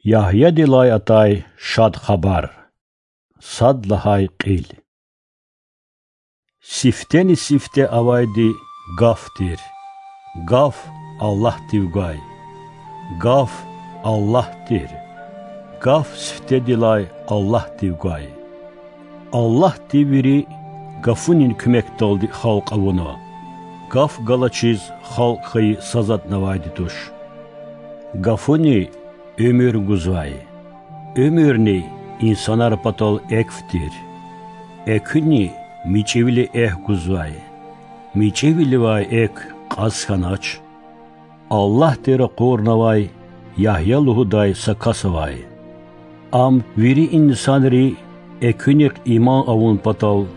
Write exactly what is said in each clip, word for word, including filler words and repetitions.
Ягьядилай атай шад хабар. Сад лагьай кьил. Сифтени-сифте авайди Гаф тир. Гаф Аллагьдив гвай. Гаф Аллагь тир. Гаф сифтедилай Аллагьдив гвай. Аллагьди вири Гафунин куьмекдалди халкь авуна. Гаф галачиз халкь хьайи са затӀни авайди туш. Гафуни уьмуьр гузвай. Уьмуьрни инсанар патал экв тир. Экуьни мичӀивили экв гузвай. МичӀивиливай экв кьаз хьанач. Аллагьди ракъурнавай Ягья лугьудай са кас авай. Ам вири инсанри экуьнихъ иман авун патал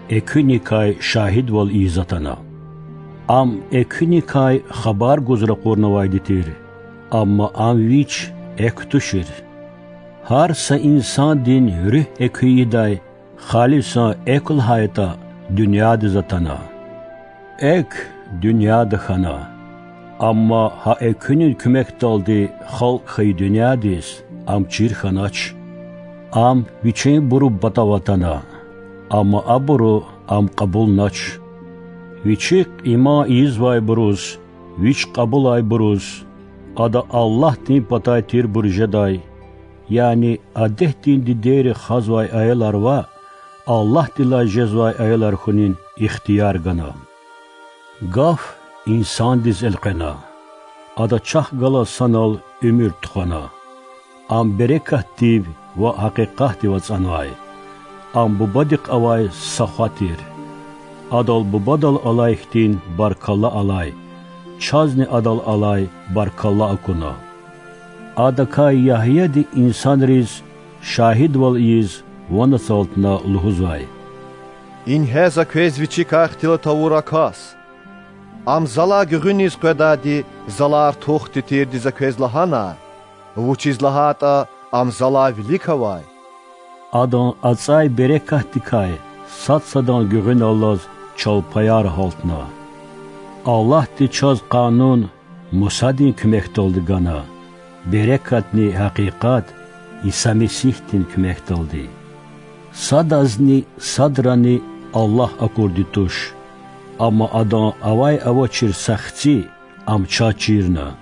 экуьникай шагьидвал ийиз атана. Ам экуьникай хабар гуз ракъурнавайди тир, амма ам вич экв тушир. Гьар са инсандин руьгь экуь ийидай халисан экв лагьайтӀа дуьньядиз атана. Экв дуьньяда хьана, амма гьа экуьнин куьмекдалди халкь хьайи дуьньядиз ам чир хьанач. Ам вичинбурун патав атана, амма абуру ам кьабулнач. Вичихъ иман ийизвайбуруз, вич кьабулайбуруз, ада Аллагьдин патай тирбур жедай, яни адетдин дидейри хазвай аялар ваъ, Аллагьдилай жезвай аялар хьунин ихтияр гана. Гаф инсандиз элкъвена. Ада чахъ галаз санал уьмуьр тухвана. Ам берекатдив ва гьакъикъатдив ацӀанвай. Ам Бубадихъ авай са хва тир. Адал Бубадал алай хьтин баркалла алай, чазни Адал алай баркалла акуна. Адакай Ягьяди инсанриз шагьидвал ийиз ван ацалтна лугьузвай: Ингье за квез вичикай ихтилат авур а кас. Ам залай гуьгъуьниз къведайди, залай артухди тирди за квез лагьана, вучиз лагьайтӀа ам залай вилик авай. Адан ацӀай берекатдикай сад-садан гуьгъуьналлаз чалпаяр гьалтна. Аллагьди чаз Къанун Мусадин куьмекдалди гана, берекатни гьакъикъат Иса Месигьдин куьмекдалди. Садазни садрани Аллагь акурди туш, амма Адан авай-авачир са Хци Ам чаз чирна.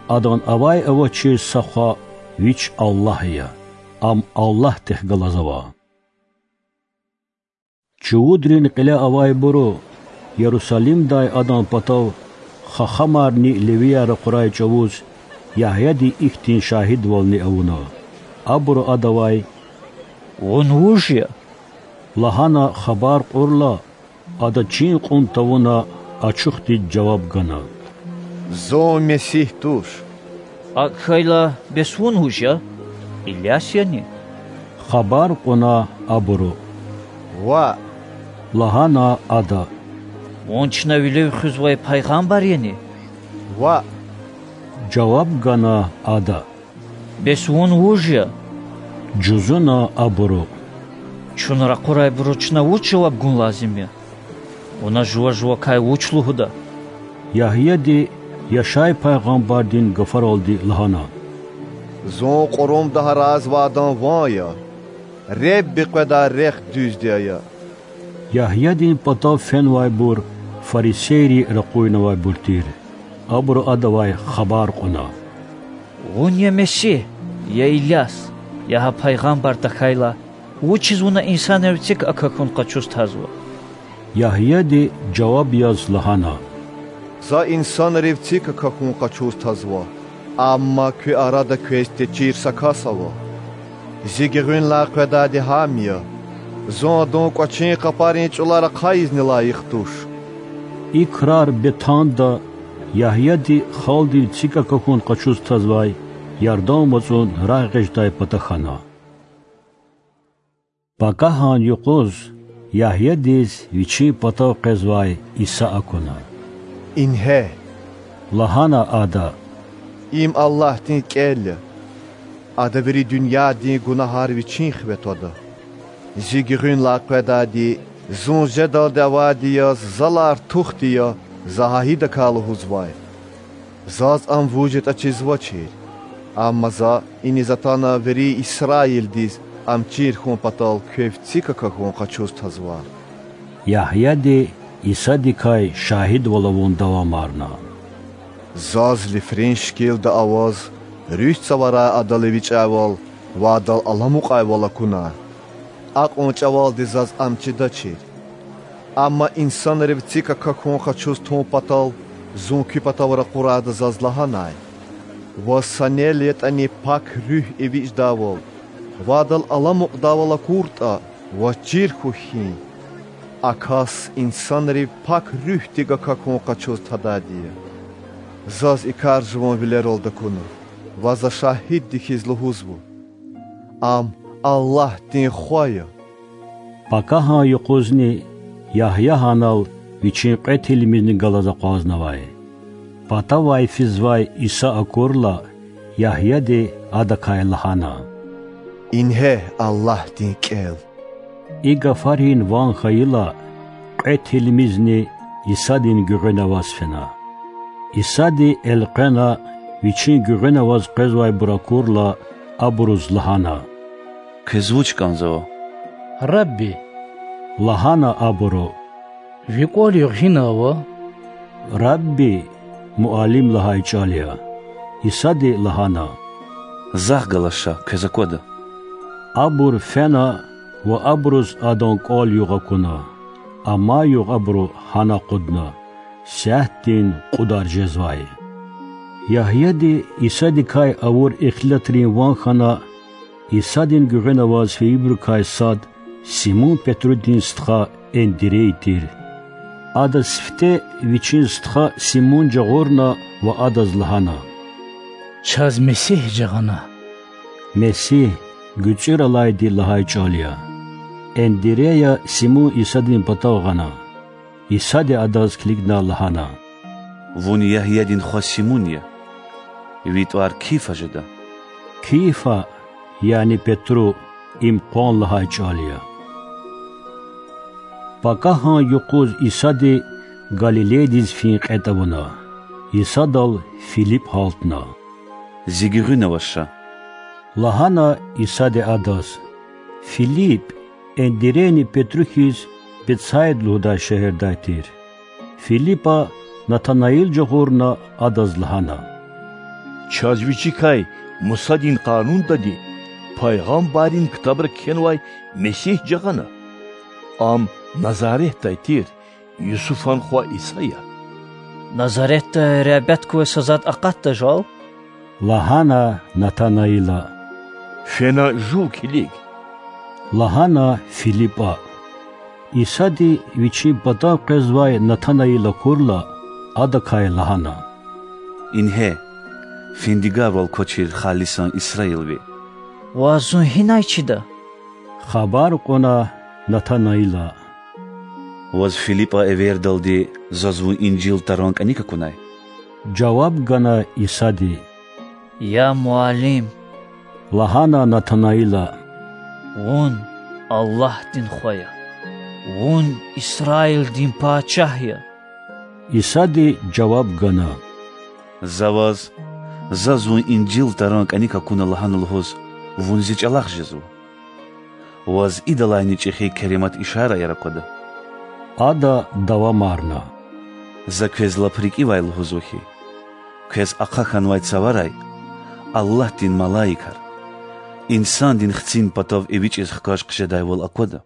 Адан авай-авачир са Хва— Вич Аллагь я. Ам Аллагьдихъ галаз ава. Чувудрин кьиле авайбуру Ярусалимдай адан патав хахамарни левияр ракъурай чӀавуз Ягьяди ихьтин шагьидвални авуна. Абуру адавай: Вун вуж я? лагьана хабар кьурла, ада чин кьун тавуна ачухдиз жаваб гана: Зун Месигь туш. АкӀ хьайила, бес вун вуж я? Иляс яни? Хабар кьуна абуру: Ваъ,— лагьана ада. Вун чна вилив хуьзвай пайгъамбар яни? Ваъ,— жаваб гана ада. Бес вун вуж я? жузуна абуру. Чун ракъурайбуруз чна вуч жаваб гун лазим я? Вуна жува-жувакай вуч лугьуда? Ягьяди Яшай пайгъамбардин гафаралди лагьана: Зун кьурумда гьарайзавайдан ван я, Худа къведай рехъ дуьзди ая. Ягьядин патав фенвайбур фарисейри ракъурнавайбур тир. Абуру адавай хабар кьуна: Вун я Месигь, я Иляс, я гьа пайгъамбар тахьайла, вучиз вуна инсанрив цик акахьун къачуз тазва? Ягьяди жаваб яз лагьана: За инсанрив цик акахьун къачуз тазва, амма куь арада квез течир са кас ава. Зи гуьгъуьнлай къведайди гьам я. Зун адан кӀвачин къапарин чӀулар ахъайизни лайих туш. И крар Бетанда, Ягьяди халкьдив цик акахьун къачуз тазвай Ярдан вацӀун рагъ эгъидай пата хьана. Пакагьан юкъуз Ягьядиз вичин патав къвезвай Иса акуна. Ингье,— лагьана ада,— им Аллагьдин кӀел я. Ада вири дуьньядин гунагьар Вичин хиве твада. Зи гуьгъуьнлай къведайди Зун жедалди авайди яз Залай артухди я За гьа гьидакай лугьузвай. Заз Ам вуж ятӀа чизвачир. Амма За иниз атана вири Исраилдиз Ам чир хьун патал квев цик акахьун къачуз тазва. Ягьяди Исадикай шагьидвал авун давамарна: Заз лифрен шикилда аваз руьгь цаварай Адал эвичӀайвал ва Адал аламукьайвал акуна. Акьван чӀавалди Заз Ам чидачир. Амма инсанрив цик акахьун къачуз тун патал Зун куь патав ракъурайда Заз лагьанай: Ваз санал ятӀани Пак Руьгь эвичӀдайвал ва Адал аламукьдайвал акуртӀа, ваз чир хьухь хьи, а кас инсанрив Пак Руьгьдик акахьун къачуз тадайди я. Заз и кар жуван вилералди акуна ва За шагьидди хьиз лугьузва: Ам Аллагьдин Хва я. Пакагьан юкъузни Ягья гьанал Вичин кьве тилмизни галаз акъвазнавай. Патавай физвай Иса акурла, Ягьяди адакай лагьана: Ингье Аллагьдин КӀел. И гафарин ван хьайила, кьве тилмизни Исадин гуьгъуьна аваз фена. Исади элкъвена, Вичин гуьгъуьна аваз къвезвайбур акурла, абуруз лагьана: Квез вуч кӀанзава? Рабби,– лагьана абуру. Ви кӀвал-югъ гьина ава? Рабби– муаллим лагьай чӀал я. Исади лагьана: Захъ галаз ша, квез аквада. Абур фена ва абуруз Адан кӀвал-югъ акуна. Амай югъ абуру гьана акъудна, сятдин кьудар жезвай. Ягьяди Исадикай авур ихтилатрин ван хьана, Исадин гуьгъуьна аваз фейибурукай сад Симун-Петрудин стха Эндирей тир. Ада сифте вичин стха Симун жагъурна ва адаз лагьана: Чаз Месигь жагъана. Месигь– гуьцӀуьралайди лагьай чӀал я. Эндирея Симун Исадин патав гъана. Исади адаз килигна лагьана: Вун Ягьядин хва Симун я. Ви тӀвар Кифа жеда. Кифа, яни Петру, им къван лагьай чӀал я. Пакагьан юкъуз Исади Галилейдиз фин кьетӀ авуна. Исадал Филип гьалтна. Зи гуьгъуьна аваз ша,– лагьана Исади адаз. Филип Эндирейни Петру хьиз Бетсайд лугьудай шегьердай тир. Филипа Натанаил жагъурна адаз лагьана: Чаз вичикай Мусадин Къанундади, пайгъамбаррин ктабра кхьенвай Месигь жагъана. Ам Назаретдай тир, Юсуфан хва Иса я. Назаретдай регьбет квай са затӀ акъатда жал,– лагьана Натанаила. Фена жув килиг,– лагьана Филипа. Исади Вичин патав къвезвай Натанаил акурла, адакай лагьана: Ингье, финдигарвал квачир халисан исраилви. Ваз зун гьинай чида? хабар кьуна Натанаила. Ваз Филипа эвердалди заз вун инжил таран кӀаник акунай? жаваб гана Исади. Я Муаллим,– лагьана Натанаила,– Вун Аллагьдин Хва я, Вун Исраилдин Пачагь я. Исади жаваб гана: За ваз, заз вун инжил таран кӀаник акуна лагьана лугьуз, вун зи чӀалахъ жезва? Ваз идалайни чӀехи керемат ишараяр аквада. Ада давамарна: За квез лап рикӀивай лугьузва хьи, квез ахъа хьанвай цаварай Аллагьдин малаикар Инсандин Хцин патав эвичӀиз хкаж хъжедайвал аквада.